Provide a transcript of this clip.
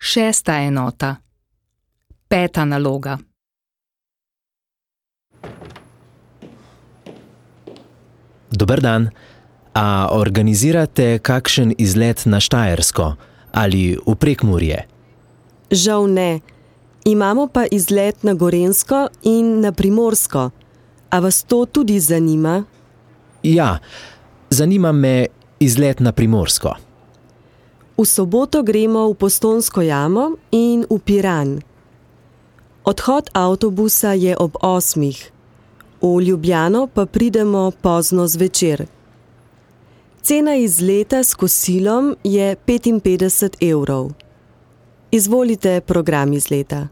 6. enota. 5. naloga. Dober dan. A organizirate kakšen izlet na Štajersko ali v Prekmurje? Žal ne. Imamo pa izlet na Gorenjsko in na Primorsko. A vas to tudi zanima? Ja, zanima me izlet na Primorsko. V soboto gremo v Postojnsko jamo in v Piran. Odhod avtobusa je ob 8. V Ljubljano pa pridemo pozno zvečer. Cena izleta s kosilom je 55 €. Izvolite program izleta.